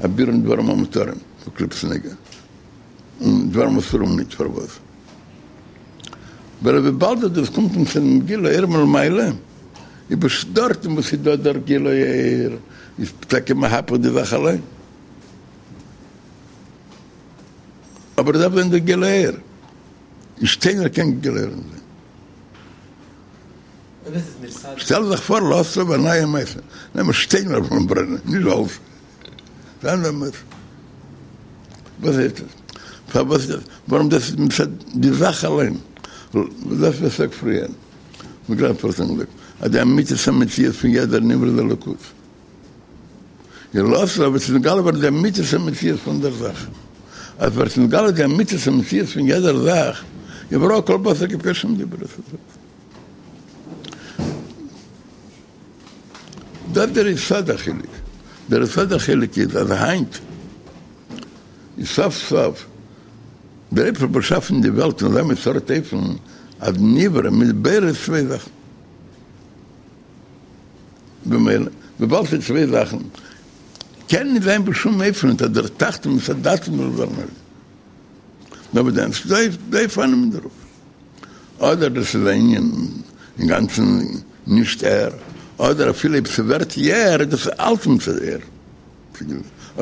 א בירור דברים המותרים פון קליפת נוגה און דברים אסורים נישט פארוואס? ווייל וויבאלד אז דאס קומט מצד דעם גילוי אור מלמעלה איז פשוט דארטן וואס איז דא דער גילוי אור איז טאקע מהפך די זאך אליין אבער עס דארף זיין דער גילוי אור אין שטיינער קען גילוי אור נישט זיין. שטעל זיך פאר לעתיד לבוא א נייע מעשה, נעמען שטיינער און ברענען, נישט האלץ. ס'איז אן אנדערע מעשה. וואס הייסט עס? פארוואס איז דאס? ווארום דאס איז מצד די זאך אליין. דאס וואס איך זאג פריער, מ'האט גראדע פארשטאנען געזאגט, אז די אמיתית המציאות פון יעדער נברא איז אלוקות. און לעתיד לבוא וועט נתגלה ווערן די אמיתית המציאות פון דער זאך. אז ווערט נתגלה די אמיתית המציאות פון יעדער זאך, איז וראו כל בשר כי פי השם דיבר את הדבר. דאס דער יסוד החילוק. דער יסוד החילוק איז אז היינט איז סוף סוף דער אייבערשטער האט באשאפן די וועלט אין אזא מין סארט אופן. אז נברא מיט בורא איז צוויי זאכן. במילא, וויבאלד ס'איז צוויי זאכן, קען נישט זיין בשום אופן אז דער תחתון מצד עצמו זאל ווערן עליון. נאר וואס דען, ס'איז דא אופנים אין דערויף. אדער דאס איז א ענין אינגאנצן נישט ער, אדער אפילו אויב ס'ווערט יא ער, איז דאס אלץ מצד אור,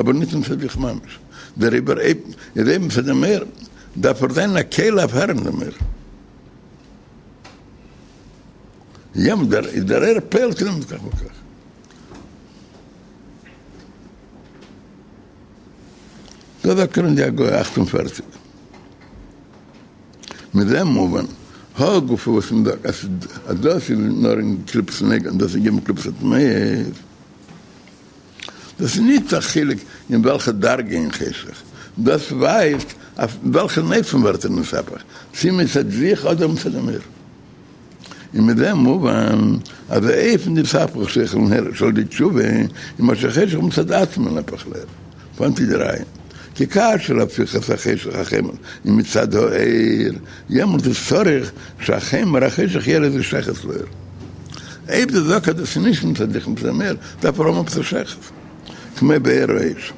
אבער נישט מצד זיך ממש. דעריבער אויב איז אויב מצד דעם אור, דארף ער זיין א כלי אויף הערן דעם אור. ים דער איז דער אור פועל'ט אין אים כך וכך. דא זאגט ער אין די הגהה 48. מזה מובן, הא גופא וואס מען זאגט אז דאס איז נאר אין קליפת נוגה און דאס איז ג' קליפות הטמאות, דאס איז נישט א חילוק אין וועלכע דרגה אין חשך, דאס ווייזט אויף וועלכן אופן ווערט ער נתהפך, צי מצד זיך אדער מצד דעם אור. און מזה מובן אז האופן דאתהפכא חשוכא לנהורא שעל ידי תשובה איז מה שחשך מצד עצמו נהפך לאור, פון וואנעט איז די ראיה כי כאשר הפיכת החשך החומר איז מצד האור, יעמאלט איז צריך שהחומר החשך יהיה לו איזה שייכות לאור. אויב דו זאגסט אז דאס איז נישט מצד זיך מצד דעם אור, דארף ער האבן עפעס א שייכות, כמו באור האש.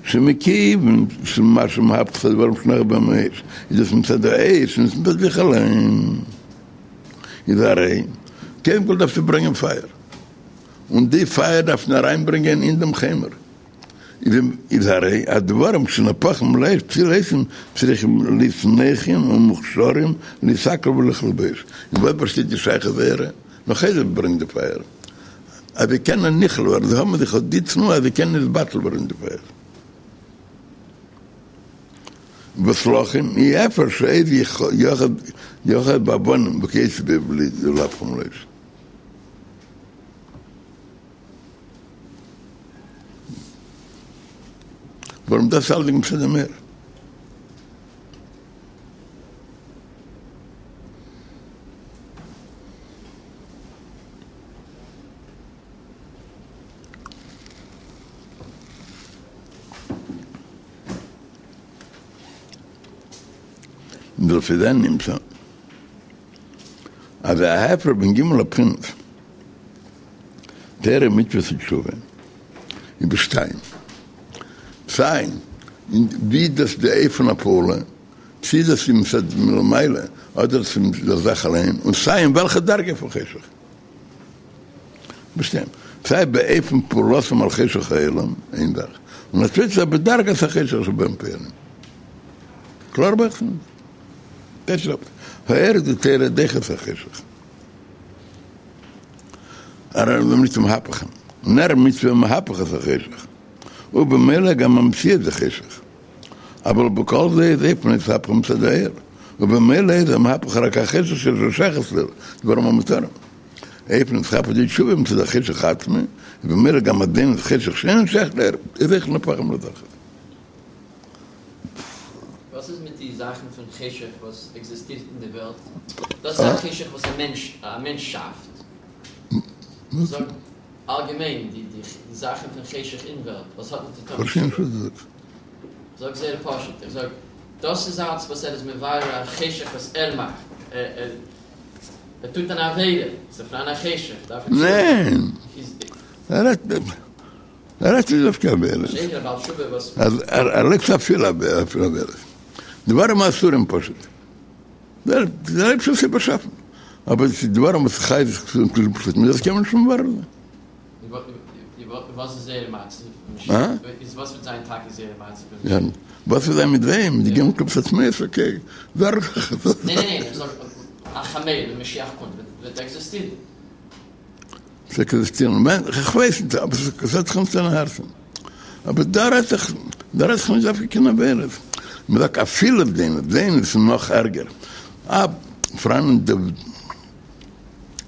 שמכיוון שמה שמהפך את הדברים שנוהר בהם האש, איז דאס מצד האש און נישט מצד זיך אליין. איז הרי, קודם כל דארפסטו ברענגען פייער, און די פייער דארף מען אריינברענגען אין דעם חומר. איז הרי הדברים שנהפכים לאש פתילותם צריכים להיות נוחים ומוכשרים להתעכל וליכלל באש. אין וואס באשטייט די שייכות זייערע? נאך איידער מ'ברענגט די פייער. אז זיי קענען נכלל ווערן, זיי האבן זיך אט די תנועה אז זיי קענען נתבטל ווערן אין די פייער. וואס לכן אי אפשר שעז יאחז באבנים וכיוצא בזה להפכם לאש. ווארום דאס אלדינג מצד דעם אור. ולפי זה נמצא אז ההפרש בין ג' הבחינות תורה מצוות ותשובה איז בשתיים סיי אין ווי דאס די אופן הפעולה צי דאס איז מצד מלמעלה אדער עס איז מצד דער זאך אליין און סיי אין וועלכע דרגה פון חשך בשתיים סיי באופן פעולתם על חשך העולם איין זאך און א צווייטע זאך בדרגת החשך שבהם פועלים קלאר בעצם? האור דתורה דוחה את החשך. הרי מצוה מהפכן, נר מצוה מהפך את החשך, ובמילא גם המציאות זה חשך. אבל בכל זה איז אופן אתהפכא מצד האור, ובמילא איז המהפך רק החשך שיש לו שייכות לאור, דברים המותרים. אופן אתהפכא דתשובה מצד החשך עצמו, ובמילא גם עדיין חשך שאין שייך לאור, איז אויך נהפכים לזכר. וואס איז מיט די זאכן פון חשך וואס עקזיסטירט אין די וועלט? דאס איז א חשך וואס א מענטש א מענטש שאפט. זאג אלגעמיין די די זאכן פון חשך אין וועלט וואס האט נישט צו טון מיט תשובה. זאג זייער פשוט, איך זאג דאס איז אלץ וואס ער איז מבאר א חשך וואס ער מאכט. ער ער טוט אן עבירה, ס'איז פאראן א חשך, דארף ער תשובה טון. ניין! ער רעדט ער רעדט נישט דווקא עבירות. אז ער לייגט אפילו עבירות. דברים האסורים פשוט. דער אייבערשטער האט זיי באשאפן. אבער עס איז דברים וואס חי זיך פשוט דאס קען מען נישט מברר זיין. וואס איז זייער מצב? וואס וועט זיין טאקע זייער מצב? וואס וועט זיין מיט זיי? מיט די ג' קליפות הטמאות? אקעי. ניין ניין ניין, איך זאג א חמור ווען משיח קומט וועט עקזיסטירן. ס'עקזיסטירן ווען? כ'ווייס נישט, אבער ס'האט זיך נישט אין הארצן. אבער דא רעדט זיך, דא רעדט זיך נישט דווקא קיין עבירות. מ'זאגט אפילו זונות, זונות איז נאך ערגער. אה, פאראן די,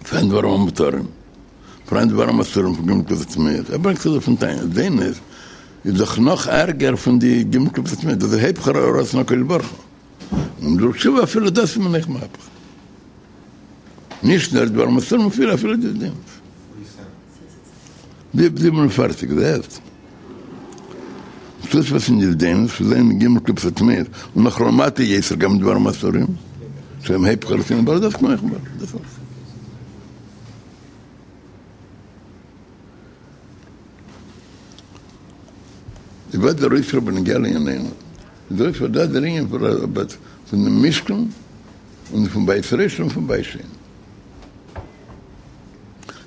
פאראן דברים המותרים, פאראן דברים אסורים פון ג' קליפות הטמאות. ער ברענגט עס אויפן תניא, זונות איז דאך נאך ערגער פון די ג' קליפות הטמאות, דאס איז היפך רצון הקדוש ברוך הוא. און דורך תשובה אפילו דאס איז מען אויך מהפך. נישט נאר דברים אסורים אפילו אפילו די זונות. 47 זעהסט? חוץ וואס אין די זונות וואס זענען ג' קליפות הטמאות און נאך למטה יותר גם דברים אסורים. שהם היפך רצונו ברא דאס קען איך ברא דאס אלס. איז וואס דער אויספיר בנוגע לענייננו? איז דער אויספיר דאס דער ענין פון דעם משכן און פון בית ראשון און פון בית שני.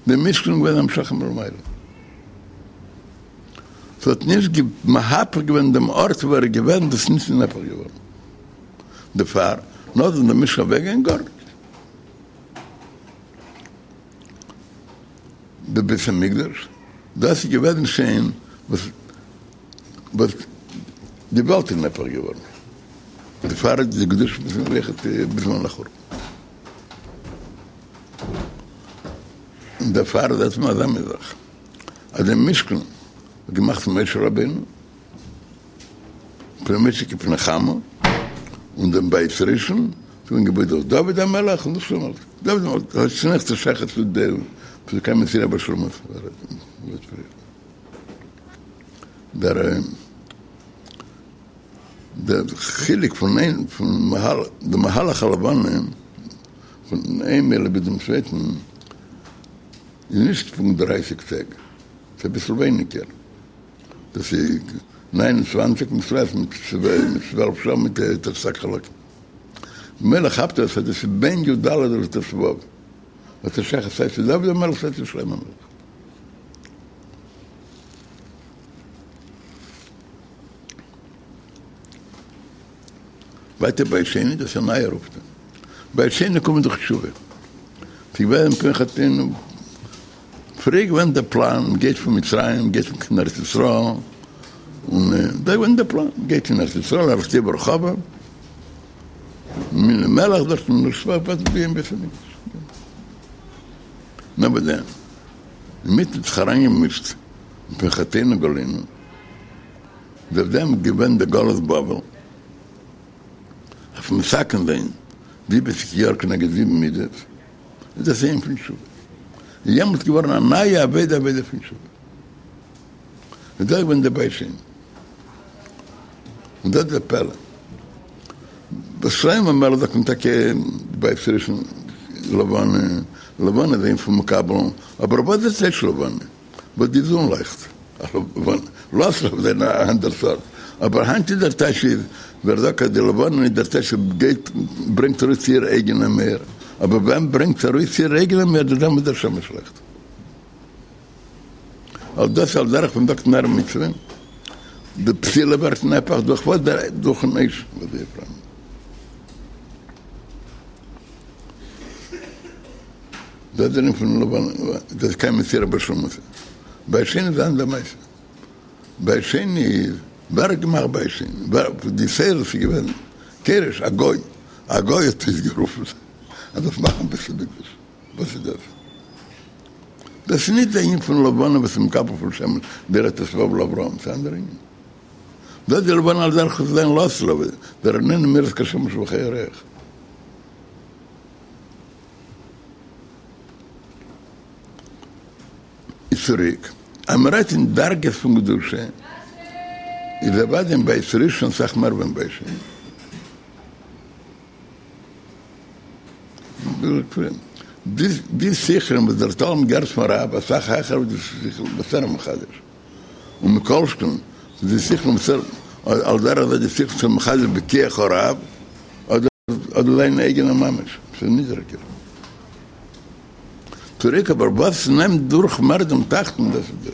דער משכן איז געווען המשכה מלמעלה. ס'האט נישט מהפך געווען דעם ארט וואו ער איז געווען, דאס איז נישט נהפך געווארן דערפאר, נאר זאל דער משכן אוועקגיין גארנישט. דער בית המקדש, דאס איז געוועזן שוין וואס וואס די וועלט איז נהפך געווארן, דערפאר איז די קדושה פון אויכעט בזמן החורבן. און דערפאר זעט מען אזא מין זאך, אז דעם משכן האט געמאכט משה רבינו, פני משה כפני חמה, און דעם בית ראשון איז געווען געבויט דורך דוד המלך און דורך שלמה המלך. דוד המלך האט שוין עכט א שייכות צו דעם צו קיין מסירה בשלמות. דער דער חילוק פון איין פון די מהלך הלבנה פון איין מילוי ביז דעם צווייטן איז נישט פונקט דרייסיג טעג, ס'איז אביסל ווייניגער. דאס איז 29 מיט צוועלף מיט 12 שעה מיט תרס"ג חלקים. ממילא כאפט ער אז דאס איז בין י"ד לט"ו. האט ער שייכות סיי צו דוד המלך סיי צו שלמה המלך. ווייטער בית שני, דאס איז א נייער אויפטו. בית שני קומט דורך תשובה. ס'איז געווען מפני חטאינו. פריער געווען דער פלאן, מ'גייט פון מצרים, מ'גייט קיין ארץ ישראל, און דא געווען דער פלאן, מ'גייט אין ארץ ישראל, ארץ טובה ורחבה, מינוי מלך דארט, און שפעטער בויען בית המקדש. נאר ביי דעם, אינמיטן האט זיך אריינגעמישט מפני חטאינו גלינו, דורך דעם געווען דער גלות בבל, אויף מתקן זיין זיבעציג יאר כנגד זיבן מידות, איז דאס ענין פון תשובה. איז יעמאלט געווארן א נייע עבודה עבודה פון תשובה. איז דאס געווען דער בית שני. און דאס איז דער פלא. ביי שלמה המלך זאגט מען טאקע בית ראשון לבנה, לבנה איז ענין פון מקבל, אבער וואס איז טייטש לבנה? וואס די זון לייכט. לעתיד לבוא זיין א אנדער סארט. אבער היינט איז דער טייטש איז, ווער זאגט אז די לבנה איז דער טייטש גייט ברענגט ארויס איר אייגענע מאור, אבער ווען ברענגט ארויס איר אייגענע מאור דורך דעם וואס דער שמש לייכט. על דאס על דרך ווען מ'זאגט נר מצוה, די פתילה ווערט נהפך דורך וואס דער דורכן אש וואס זיי פארברענען. דאס דער ענין פון לבנה, דאס איז קיין מסירה בשלמותה. בית שני איז אנדער מעשה. בית שני איז, ווער האט געמאכט בית שני? ווער, די שאלה איז געווען, כורש, א גוי, א גוי האט אויסגערופן אז דארף מאכן בית המקדש, וואס איז דאס? דאס איז נישט די ענין פון לבנה וואס איז מקבל פון שמש דער ט"ו לאברהם, ס'איז אנדער ענין. דאס איז די לבנה על דרך וואס זיין לעתיד לבוא, דער איננה מאירה כשמש וכירח. איז צוריק, אז מען רעדט אין דרגות פון קדושה, איז אוודאי אין בית ראשון אסאך מער ווי אין בית שני. די שיחה וואס דער תלמיד געהערט פון רב אסאך העכער ווי די שיחה וואס ער איז מחדש, ומכל שכן די שיחה וואס ער על דרך זה די שיחה וואס ער מחדש בכח הרב, אדער זיין אייגענע ממש, ס'איז נידעריגער. צוריק אבער וואס נעמט דורך מער דעם תחתון דאס איז דאס.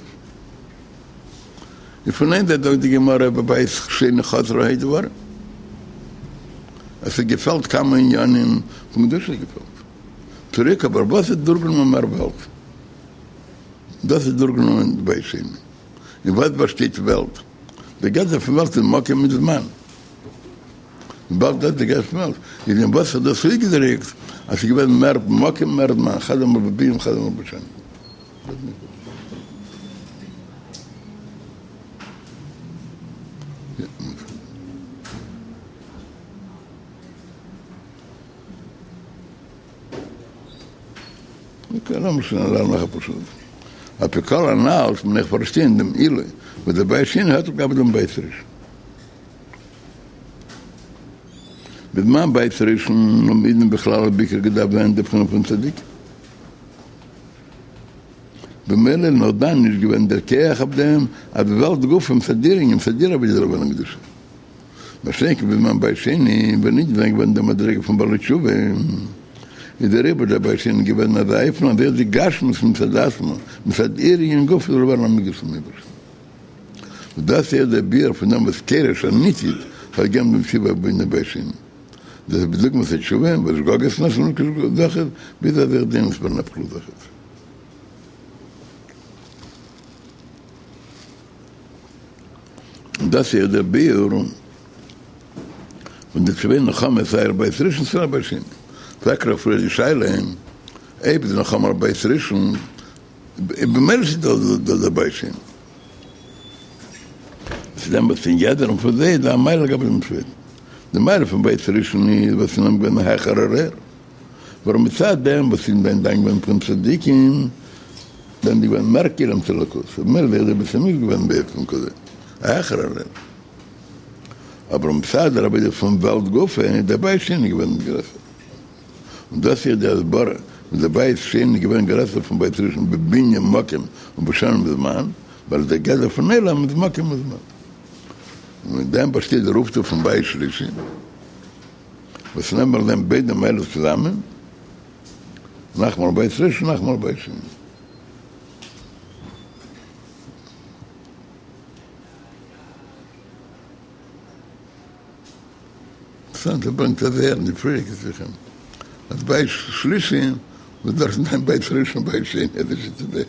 און פון איין זייט זאגט די גמרא בבית שני חזרו ה' דברים. עס האט געפעלט כמה עניינים פון קדושה האט געפעלט. צוריק אבער וואס האט דורכגענומען מער וועלט? דאס איז דורכגענומען בית שני. אין וואס באשטייט וועלט? די גדר פון וועלט איז מקום מיט זמן. וויבאלד דאס די גדר פון וועלט איז אין וואס האט דאס אויסגעדריקט אז ס'איז געווען מער מקום מער זמן חד אמר בביאה וחד אמר בשנים. אקעי לאמיר שוין לערנען נאך אפאר שורות. על פי כל הנ"ל מען אויך פארשטיין דעם עילוי וואס דער בית שני האט לגבי דעם בית ראשון. בזמן בית ראשון האבן אידן בכלל ובעיקר געדארפט זיין אין די בחינה פון צדיקים. במילא איז נאך דאן נישט געווען דער כח אויף דעם אז די וועלט גופא מצד איר ענין מצד איר עבודה זאל ווערן קדושה. מה שאין כן בזמן בית שני ווען אידן זענען געווען אין דער מדריגה פון בעלי תשובה איז דעריבער דער בית שני געווען אין אזא אופן אז אויך די גשמיות מצד עצמה מצד איר ענין גופא זאל ווערן א מקדש צום אייבערשטן. און דאס איז דער ביאור פון דעם וואס כורש הניצוץ האט געגעבן דעם ציווי אויף בנין בית שני. דאס איז בדוגמת התשובה וואס שגגות נעשו לזכות ביז אז אויך די ווערן נהפך לזכות. און דאס איז דער ביאור פון די צוויי נחמות סיי על בית ראשון סיי על בית שני. פרעגט ער פריער די שאלה אויב איז נחמה על בית ראשון במילא איז דא דער בית שני. צו דעם וואס אין יעדערן פון זיי איז דא א מעלה לגבי דעם צווייטן. די מעלה פון בית ראשון איז וואס אין אים געווען א העכערער אור. ווארום מצד דעם וואס אידן זענען דאן געווען פון צדיקים, זענען זיי געווען מער כלים צו אלוקות, ובמילא איז דער בית המקדש געווען באופן כזה א העכערער אור. אבער מצד דער עבודה פון וועלט גופא איז דער בית שני געווען גרעסער. און דאס איז די הסברה וואס דער בית שני איז געווען גרעסער פון בית ראשון בבנין מקום ובשנים וזמן, ווייל דער גדר פון עולם איז מקום וזמן. און אין דעם באשטייט דער אויפטו פון בית שלישי, וואס נעמט זיין ביידע מעלות צוזאמען, נחמה על בית ראשון נחמה על בית שני. אינטערעסאנט ער ברענגט אזוי אין די פריערדיגע שיחה אז בית שלישי וואס דארף זיין בית ראשון בית שני אזוי שטייט דער.